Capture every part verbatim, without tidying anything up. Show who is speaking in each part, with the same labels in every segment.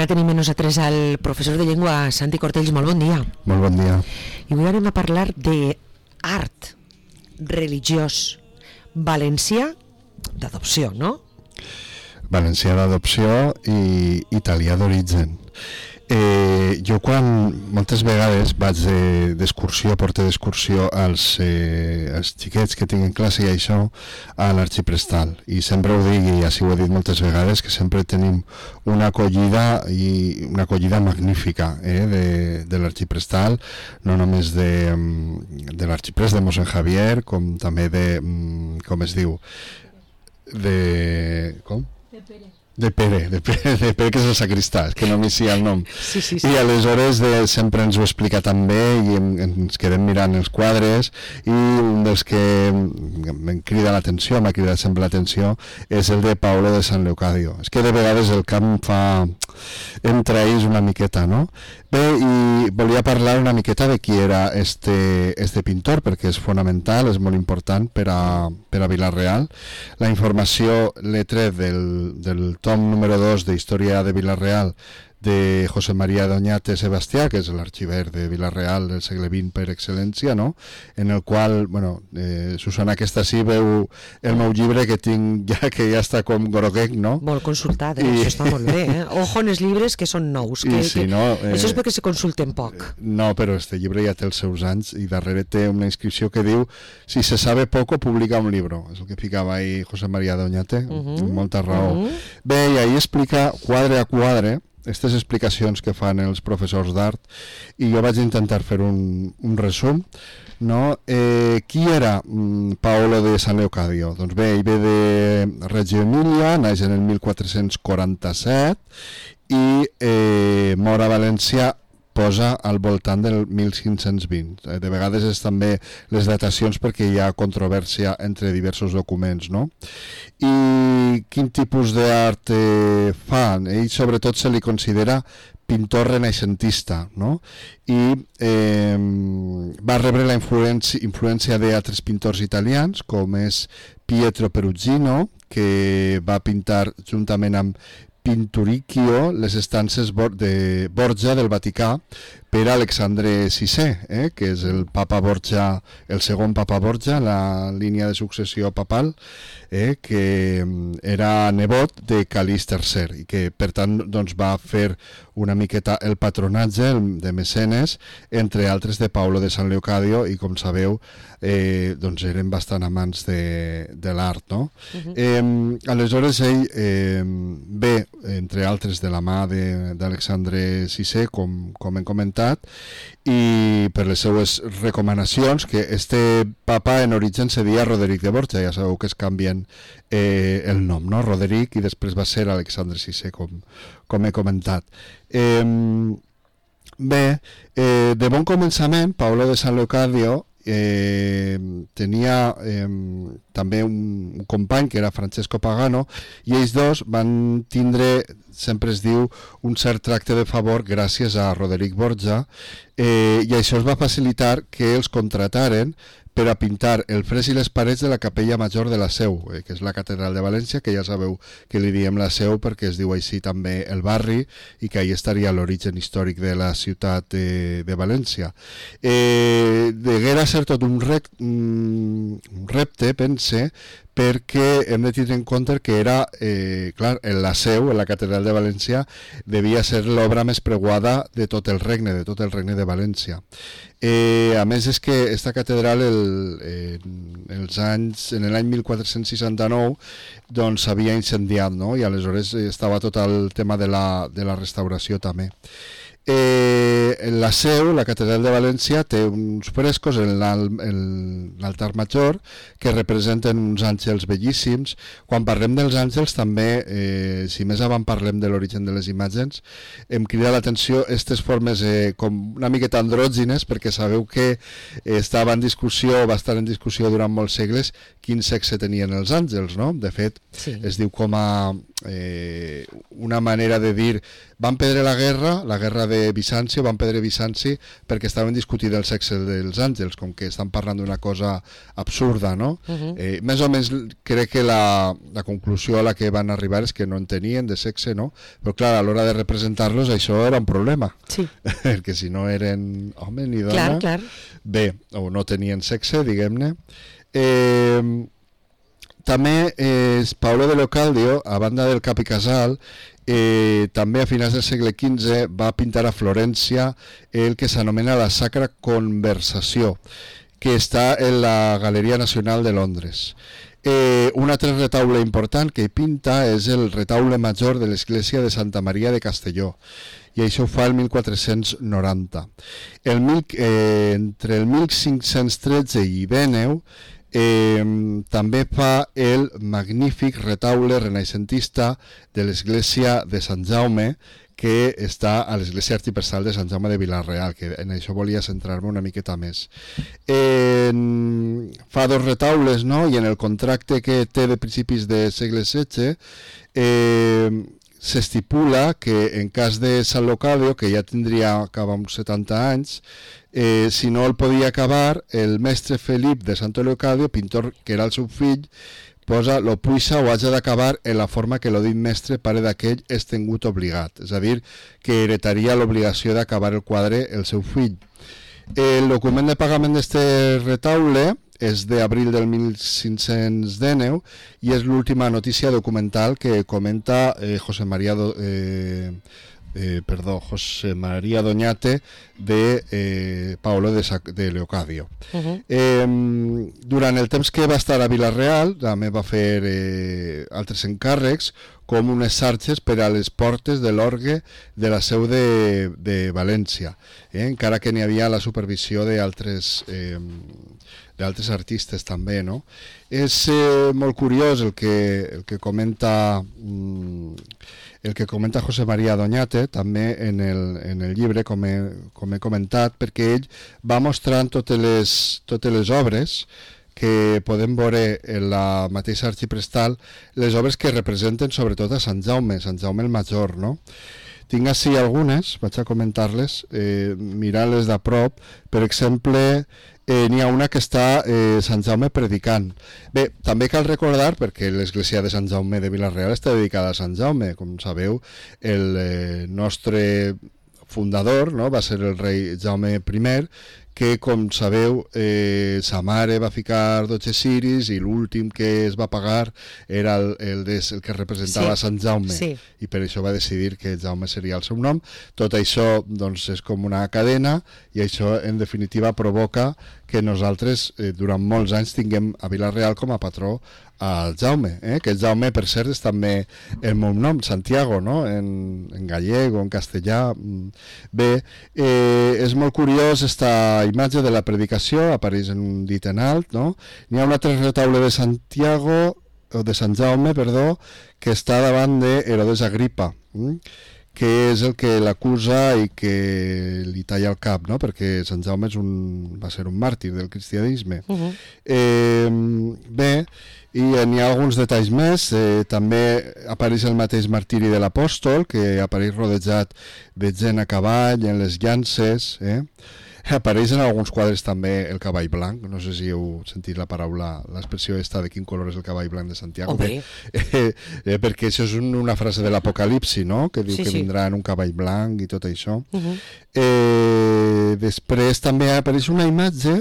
Speaker 1: Ara tenim amb nosaltres al professor de llengua Santi Cortells. Molt bon dia.
Speaker 2: Molt bon dia.
Speaker 1: I avui anem a parlar d'art religiós valencià d'adopció, no?
Speaker 2: Valencià d'adopció i italià d'origen. Eh, jo quan moltes vegades vaig d'excursió, porto d'excursió als, eh, als xiquets que tinc en classe i això a l'Arxiprestal, i sempre ho dic i així ho he dit moltes vegades, que sempre tenim una acollida i una acollida magnífica eh, de, de l'Arxiprestal, no només de, de l'Arxiprest de Mossèn Javier, com també de, com es diu, de... com?
Speaker 1: De Pere.
Speaker 2: De Pere, de Pere, de Pere, que és el sacristà, és que no m'hi sé el nom.
Speaker 1: Sí, sí, sí.
Speaker 2: I aleshores de, sempre ens ho explica també i em, ens quedem mirant els quadres, i un dels que em crida l'atenció, m'ha cridat sempre l'atenció, és el de Paolo de San Leocadio. És que de vegades el camp fa entre ells una miqueta, no? Bé, i volia parlar una miqueta de qui era este, este pintor, perquè és fonamental, és molt important per a, per a Vila-real. La informació l'he tret del, del tom número dos de Història de Vila-real de José María Doñate Sebastià, que és l'arxiver de Vila-real del segle vint per excel·lència, no? En el qual, bueno, eh, Susana, aquesta sí veu el meu llibre que tinc ja, que ja està com groguenc, no?
Speaker 1: Molt consultat, eh?
Speaker 2: I...
Speaker 1: Això està molt bé, eh? Ojo en els llibres que són nous, que,
Speaker 2: I sí,
Speaker 1: que...
Speaker 2: no, eh...
Speaker 1: això és perquè se consulten poc.
Speaker 2: No, però este llibre ja té els seus anys i darrere té una inscripció que diu: si se sabe poco, publica un libro. És el que ficava ahí José María Doñate, uh -huh. amb molta raó. Uh -huh. Bé, i ahí explica quadre a quadre aquestes explicacions que fan els professors d'art, i jo vaig intentar fer un, un resum, no? Eh, qui era mm, Paolo de San Leocadio? Doncs bé, ell ve de Reggio Emilia, naix en el mil quatre-cents quaranta-set i eh, mor a València, posa al voltant del mil cinc-cents vint. De vegades és també les datacions perquè hi ha controvèrsia entre diversos documents, no? I quin tipus d'art eh, fa? Ell sobretot se li considera pintor renaixentista, no? I eh, va rebre la influència, influència d'altres pintors italians, com és Pietro Perugino, que va pintar juntament amb Pinturicchio les estances de Borgia del Vaticà per Alexandre sisè, eh, que és el papa Borgia, el segon papa Borgia, la línia de successió papal, eh, que era nebot de Calís tercer i que per tant doncs, va fer una miqueta el patronatge de mecenes, entre altres de Paolo de San Leocadio, i com sabeu eh, doncs eren bastant amants de, de l'art, no? Uh-huh. eh, aleshores ell eh, ve, entre altres, de la mà d'Alexandre sisè, com, com hem comentat, i per les seues recomanacions, que este papa en origen se deia Roderic de Borja, ja sabeu que es canvien eh, el nom, no? Roderic, i després va ser Alexandre sisè, com, com he comentat. Eh, bé, eh, de bon començament, Paolo de San Leocadio Eh, tenia eh, també un company que era Francesco Pagano, i ells dos van tindre, sempre es diu, un cert tracte de favor gràcies a Roderic Borja, eh, i això es va facilitar que els contrataren per a pintar el fresc i les parets de la capella major de la Seu, eh, que és la catedral de València, que ja sabeu que li diem la Seu perquè es diu així també el barri, i que ahí estaria l'origen històric de la ciutat de, de València. Eh, deguera ser tot un, rec, un repte, pense, perquè hem de tindre en compte que era, eh, clar, en la Seu, en la catedral de València, devia ser l'obra més preuada de tot el regne, de tot el regne de València. Eh, a més, és que esta catedral el, eh, els anys, en l'any mil quatre-cents seixanta-nou doncs s'havia incendiat, no? I aleshores estava tot el tema de la, de la restauració també. Eh, en la Seu, la catedral de València, té uns frescos en l'altar major que representen uns àngels bellíssims. Quan parlem dels àngels també, eh, si més avant parlem de l'origen de les imatges, em crida l'atenció aquestes formes eh, com una miqueta andrògines, perquè sabeu que estava en discussió, va estar en discussió durant molts segles quin sexe tenien els àngels, no? De fet, sí. Es diu com a eh, una manera de dir van perdre la guerra, la guerra de Bizanci, van perdre Bizanci perquè estaven discutint el sexe dels àngels, com que estan parlant d'una cosa absurda, no? Uh-huh. eh, més o menys crec que la, la conclusió a la que van arribar és que no en tenien de sexe, no? Però clar, a l'hora de representar-los això era un problema,
Speaker 1: sí.
Speaker 2: perquè si no eren home ni dona,
Speaker 1: clar, clar.
Speaker 2: bé, o no tenien sexe, diguem-ne. Eh, també eh, Paolo de Leocadio, a banda del Cap i Casal, eh, també a finals del segle quinze va pintar a Florència el que s'anomena la Sacra Conversació, que està en la Galeria Nacional de Londres. Eh, un altre retaule important que hi pinta és el retaule major de l'església de Santa Maria de Castelló, i això ho fa el mil quatre-cents noranta. El mil, eh, entre el mil cinc-cents tretze i Dèneu Eh, també fa el magnífic retaule renaixentista de l'església de Sant Jaume, que està a l'església arxiprestral de Sant Jaume de Vila-real, que en això volia centrar-me una miqueta més. Eh, fa dos retaules, no? I en el contracte que té de principis de segle setze eh, s'estipula que en cas de Sant Leocadio, que ja tindria acabar uns setanta anys, eh, si no el podia acabar, el mestre Felip de Santo Leocadio, pintor que era el seu fill, posa lo puixa o haja d'acabar en la forma que lo dit mestre pare d'aquell és tengut obligat, és a dir, que heretaria l'obligació d'acabar el quadre el seu fill. El document de pagament d'este retaule és d'abril del mil cinc-cents dinou i és l'última notícia documental que comenta eh, José María Do, eh, eh, perdó, José María Doñate de eh, Paolo de, Sa de Leocadio. Uh-huh. eh, durant el temps que va estar a Vila-real també va fer eh, altres encàrrecs com unes xarxes per a les portes de l'orgue de la seu de, de València, eh? encara que n'hi havia la supervisió d'altres eh, d'altres artistes també, no? És eh, molt curiós el que, el que comenta el que comenta José María Doñate també en el, en el llibre, com he, com he comentat, perquè ell va mostrant totes les, totes les obres que podem veure en la mateixa arxiprestal, les obres que representen sobretot a Sant Jaume, Sant Jaume el Major, no? Tinc així algunes, vaig a comentar-les, eh, mirant-les de prop. Per exemple, eh, n'hi ha una que està eh, Sant Jaume predicant. Bé, també cal recordar, perquè l'església de Sant Jaume de Vila-real està dedicada a Sant Jaume, com sabeu, el eh, nostre fundador, no?, va ser el rei Jaume primer, que, com sabeu, eh, sa mare va ficar dotze ciris i l'últim que es va pagar era el, el, des, el que representava sí, Sant Jaume, sí. I per això va decidir que Jaume seria el seu nom. Tot això doncs, és com una cadena i això, en definitiva, provoca que nosaltres, eh, durant molts anys, tinguem a Vila-real com a patró al Jaume, eh? que el Jaume, per cert, és també el meu nom, Santiago, no? en, en gallec o en castellà. Bé, eh, és molt curiós esta imatge de la predicació, apareix en un dit en alt, no? N'hi ha un altre retaule de Santiago, o de Sant Jaume, perdó, que està davant d'Herodes Agripa, hm? que és el que l'acusa i que li talla el cap, no? Perquè Sant Jaume és un, va ser un màrtir del cristianisme. Uh-huh. eh, bé, i n'hi ha alguns detalls més. Eh, també apareix el mateix martiri de l'apòstol, que apareix rodejat de gent a cavall, en les llances, eh? Apareix en alguns quadres també el cavall blanc. No sé si heu sentit la paraula, l'expressió esta de quin color és el cavall blanc de Santiago.
Speaker 1: Okay.
Speaker 2: Eh, eh, perquè això és un, una frase de l'Apocalipsi, no?, que diu sí, que
Speaker 1: sí.
Speaker 2: vindrà en un cavall blanc i tot això.
Speaker 1: Uh-huh.
Speaker 2: eh, després també apareix una imatge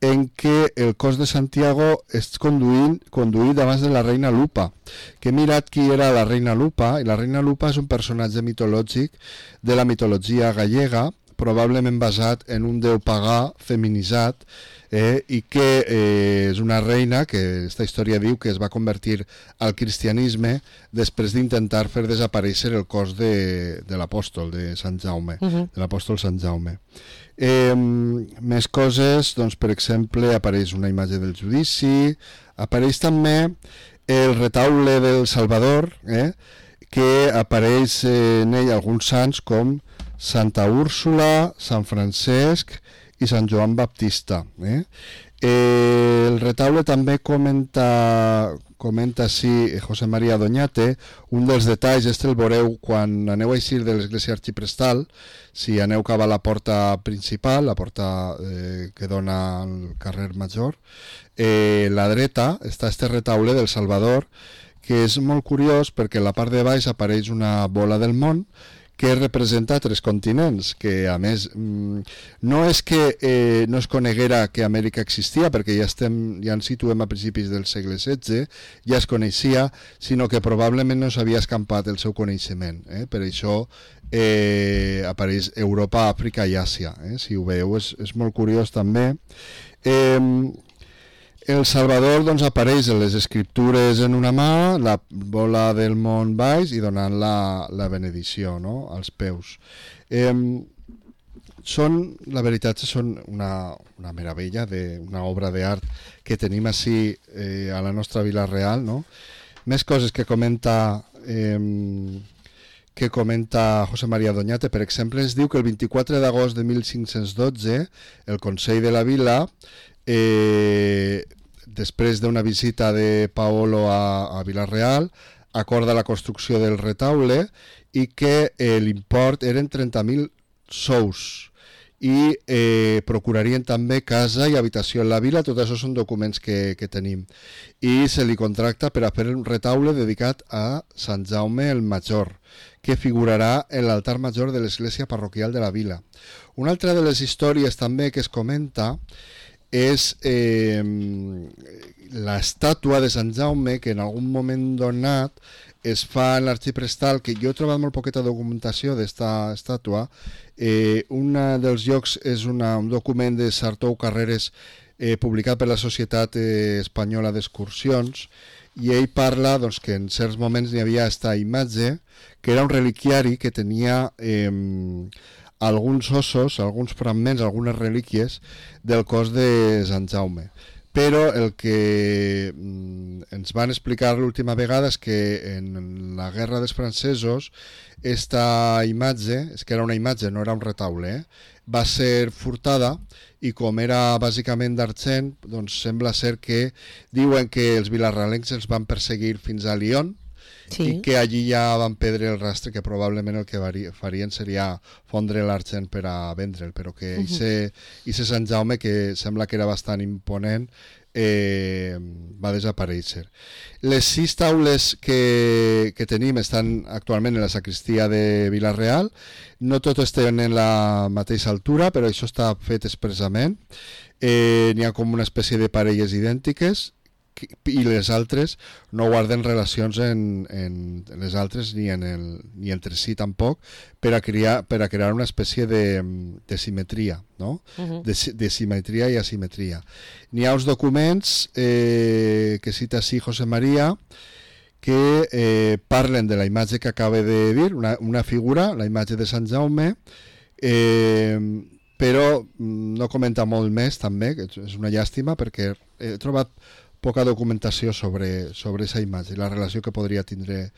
Speaker 2: en què el cos de Santiago és conduint, conduït abans de la reina Lupa, que he mirat qui era la reina Lupa, i la reina Lupa és un personatge mitològic de la mitologia gallega, probablement basat en un déu pagà feminitzat, eh, i que eh, és una reina que aquesta història diu que es va convertir al cristianisme després d'intentar fer desaparèixer el cos de, de l'apòstol de Sant Jaume, uh-huh. de l'apòstol Sant Jaume. Eh, més coses, doncs, per exemple, apareix una imatge del judici, apareix també el retaule del Salvador, eh, que apareix eh, en ell alguns sants com Santa Úrsula, Sant Francesc i Sant Joan Baptista. Eh? Eh, el retaule també comenta, comenta sí, José María Doñate, un dels detalls, este el veureu quan aneu a eixir de l'església arxiprestal, si aneu cap a la porta principal, la porta eh, que dona al carrer Major, eh, la dreta està este retaule del Salvador, que és molt curiós perquè a la part de baix apareix una bola del món que representa tres continents, que a més no és que eh, no es coneguera que Amèrica existia, perquè ja, estem, ja ens situem a principis del segle setze, ja es coneixia, sinó que probablement no s'havia escampat el seu coneixement. Eh? Per això eh, apareix Europa, Àfrica i Àsia. Eh? Si ho veieu, és, és molt curiós també. Eh, El Salvador doncs, apareix en les escriptures en una mà, la bola del món baix i donant la, la benedicció, no?, als peus. Eh, són, la veritat, són una, una meravella, de, una obra d'art que tenim així eh, a la nostra Vila Real, no? Més coses que comenta... Eh, que comenta José María Doñate, per exemple, ens diu que el vint-i-quatre d'agost de mil cinc-cents dotze el Consell de la Vila, eh, després d'una visita de Paolo a, a Vila-real, acorda la construcció del retaule i que eh, l'import eren trenta mil sous i eh, procurarien també casa i habitació en la vila. Tot això són documents que, que tenim, i se li contracta per a fer un retaule dedicat a Sant Jaume el Major, que figurarà en l'altar major de l'església parroquial de la vila. Una altra de les històries també que es comenta és eh, l'estàtua de Sant Jaume, que en algun moment donat es fa en l'arxiprestal, que jo he trobat molt poqueta documentació d'esta estàtua. Eh, un dels llocs és una, un document de Sartou Carreres eh, publicat per la Societat eh, Espanyola d'Excursions, i ell parla doncs, que en certs moments hi havia aquesta imatge, que era un reliquiari que tenia... Eh, alguns ossos, alguns fragments, algunes relíquies del cos de Sant Jaume. Però el que ens van explicar l'última vegada és que en la guerra dels francesos esta imatge, és que era una imatge, no era un retaule, eh? Va ser furtada, i com era bàsicament d'argent, doncs sembla ser que diuen que els vilarralencs els van perseguir fins a Lyon, sí, i que allí ja van perdre el rastre, que probablement el que farien seria fondre l'argent per a vendre'l, però que uh -huh. ese Sant Jaume, que sembla que era bastant imponent, eh, va desaparèixer. Les sis taules que, que tenim estan actualment en la sacristia de Vila-real. No totes tenen la mateixa altura, però això està fet expressament. Eh, n'hi ha com una espècie de parelles idèntiques, i les altres no guarden relacions en, en les altres ni, en el, ni entre si tampoc, per a crear, per a crear una espècie de, de simetria, no? Uh-huh. de, de simetria i asimetria. N'hi ha uns documents eh, que cita així José María, que eh, parlen de la imatge que acaba de dir, una, una figura, la imatge de Sant Jaume, eh, però no comenta molt més també, que és una llàstima, perquè he trobat poca documentació sobre, sobre aquesta imatge, la relació que podria tindre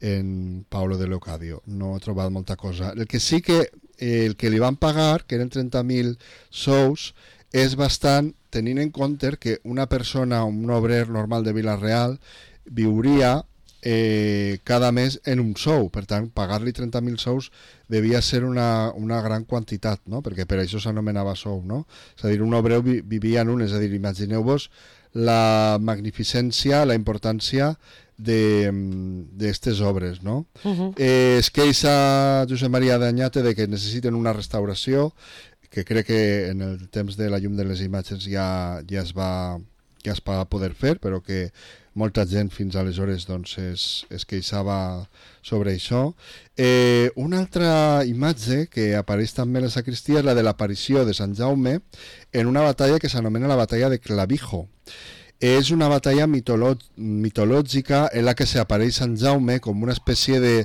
Speaker 2: en Paolo de Leocadio. No he trobat molta cosa. El que sí que eh, el que li van pagar, que eren trenta mil sous, és bastant, tenint en compte que una persona, un obrer normal de Vila-real, viuria eh, cada mes en un sou. Per tant, pagar-li trenta mil sous devia ser una, una gran quantitat, no? Perquè per això s'anomenava sou, no? És a dir, un obreu vi, vivia en un, és a dir, imagineu-vos la magnificència, la importància d'aquestes obres, no? Uh-huh. eh, es queixa Josep María Doñate de que necessiten una restauració, que crec que en el temps de la llum de les imatges ja, ja, es, va, ja es va poder fer, però que molta gent fins aleshores doncs, es, es queixava sobre això. Eh, una altra imatge que apareix també a la sacristia és la de l'aparició de Sant Jaume en una batalla que s'anomena la batalla de Clavijo. És una batalla mitolò- mitològica en la que s'apareix Sant Jaume com una espècie de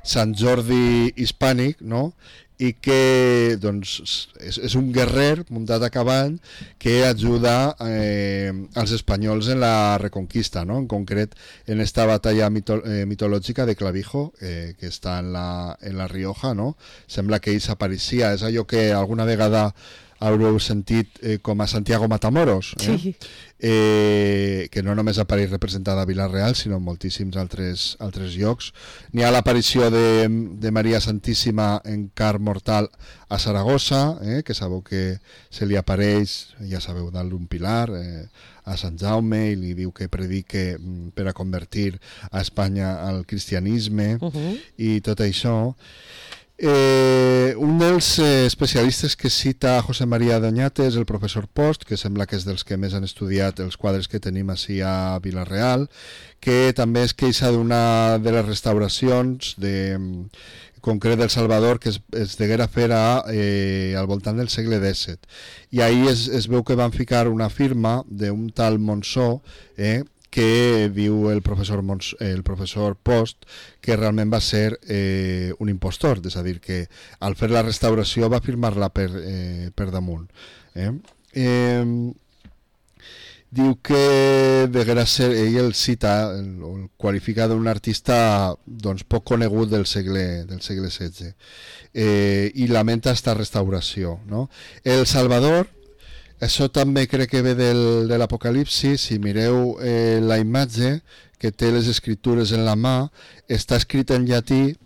Speaker 2: Sant Jordi hispànic, no? I que doncs, és, és un guerrer muntat a cavall que ajuda eh, als espanyols en la reconquista, no? En concret en esta batalla mito, eh, mitològica de Clavijo, eh, que està en la, en la Rioja, no? Sembla que ell s'apareixia, és allò que alguna vegada haureu sentit eh, com a Santiago Matamoros, eh? Sí. eh, que no només apareix representada a Vila-real, sinó en moltíssims altres, altres llocs. N'hi ha l'aparició de, de Maria Santíssima en car mortal a Saragossa, eh, que sabeu que se li apareix, ja sabeu, dalt d'un pilar, eh, a Sant Jaume, i li diu que predique per a convertir a Espanya al cristianisme, uh-huh. i tot això. Eh, un dels eh, especialistes que cita José María Doñate és el professor Post, que sembla que és dels que més han estudiat els quadres que tenim així a Vila-real, que també es queixa d'una de les restauracions de, concret del Salvador, que es, es deguera fer a, eh, al voltant del segle dèsset, i ahir es, es veu que van ficar una firma d'un tal Monsó, eh, que diu el professor, Mons, el professor Post que realment va ser eh, un impostor, és a dir, que al fer la restauració va firmar-la per, eh, per damunt. Eh? Eh, diu que deguera ser, ell el cita, el, el qualifica d'un artista doncs, poc conegut del segle, del segle setze, eh, i lamenta esta restauració. No? El Salvador, això també crec que ve del, de l'Apocalipsi. Si mireu eh, la imatge que té les escritures en la mà, està escrit en llatí: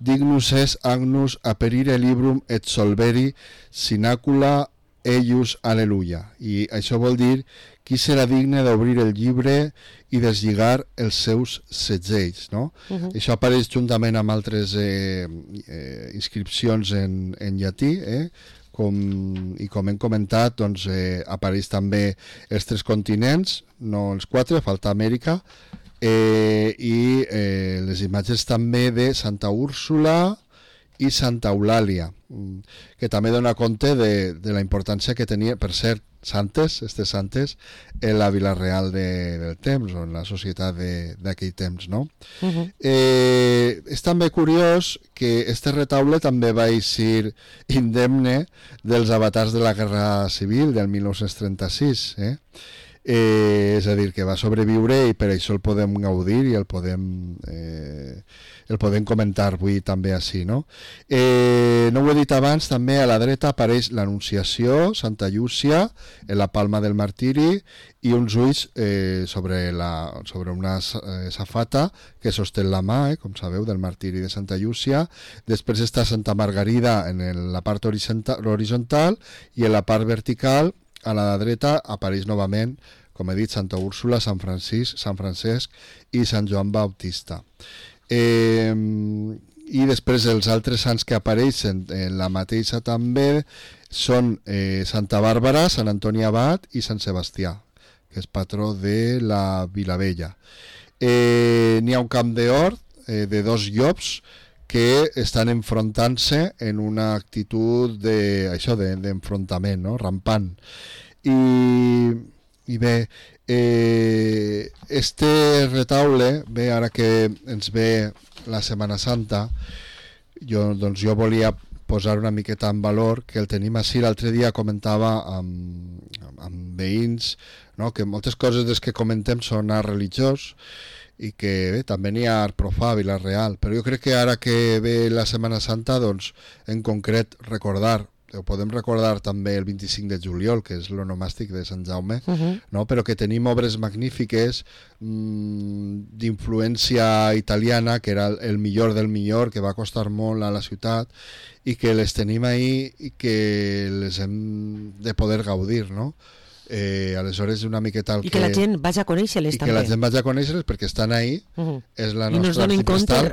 Speaker 2: Dignus es agnus aperire librum et solveri sinacula eius alleluia. I això vol dir: qui serà digne d'obrir el llibre i deslligar els seus segells, no? Uh-huh. Això apareix juntament amb altres eh, eh, inscripcions en, en llatí, eh? Com, i com hem comentat, doncs, eh, apareix també els tres continents, no els quatre, falta Amèrica, eh, i eh, les imatges també de Santa Úrsula i Santa Eulàlia, que també dona compte de, de la importància que tenia, per cert, santes, aquestes santes, en la Vila-real de, del temps, o en la societat d'aquell temps, no? Uh-huh. Eh, és també curiós que este retaule també va eixir indemne dels avatars de la Guerra Civil del mil nou-cents trenta-sis, eh? Eh, és a dir, que va sobreviure i per això el podem gaudir i el podem, eh, el podem comentar avui també així, no? Eh, no ho he dit abans, també a la dreta apareix l'Anunciació, Santa Llúcia, en la palma del martiri, i uns ulls eh, sobre, la, sobre una eh, safata que sosté la mà, eh, com sabeu, del martiri de Santa Llúcia. Després està Santa Margarida en el, la part horitzontal, horitzontal, i en la part vertical, a la dreta, apareix novament, com he dit, Santa Úrsula, Sant Francisc, Sant Francesc i Sant Joan Bautista. Eh, I després els altres sants que apareixen en la mateixa també són eh, Santa Bàrbara, Sant Antoni Abat i Sant Sebastià, que és patró de la Vilavella. Eh, n'hi ha un camp d'or eh, de dos llops que estan enfrontant-se en una actitud de, això, de, d'enfrontament, no? Rampant. I, i bé, eh, este retaule, bé, ara que ens ve la Setmana Santa, jo, doncs jo volia posar una miqueta en valor que el tenim així. L'altre dia comentava amb, amb veïns, no? Que moltes coses des que comentem són art religiós, i que bé, també n'hi ha art profà a Vila-real, però jo crec que ara que ve la Setmana Santa, doncs en concret recordar, ho podem recordar també el vint-i-cinc de juliol, que és l'onomàstic de Sant Jaume, uh-huh. no? Però que tenim obres magnífiques mmm, d'influència italiana, que era el millor del millor, que va costar molt a la ciutat, i que les tenim ahí i que les hem de poder gaudir, no? Eh, aleshores una miqueta el
Speaker 1: i que, que la gent vagi a conèixer-les
Speaker 2: i
Speaker 1: també.
Speaker 2: I que la gent vagi a conèixer-les perquè estan ahí, uh-huh. és la
Speaker 1: I
Speaker 2: nostra
Speaker 1: artipostal,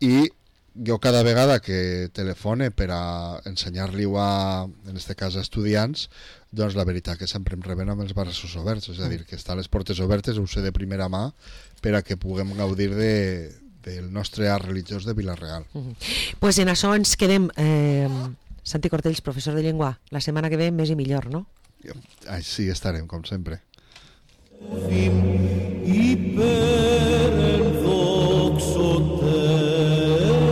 Speaker 2: i jo cada vegada que telefone per a ensenyar-li-ho a, en este cas a estudiants, doncs la veritat que sempre em reben amb els braços oberts, és a dir, que estan les portes obertes, ho sé de primera mà, per a que puguem gaudir de, del nostre art religiós de Vila-real.
Speaker 1: Uh-huh. Pues en això ens quedem. eh, Santi Cortells, professor de llengua, la setmana que ve més i millor, no?
Speaker 2: Així estarem, com sempre.
Speaker 3: Fi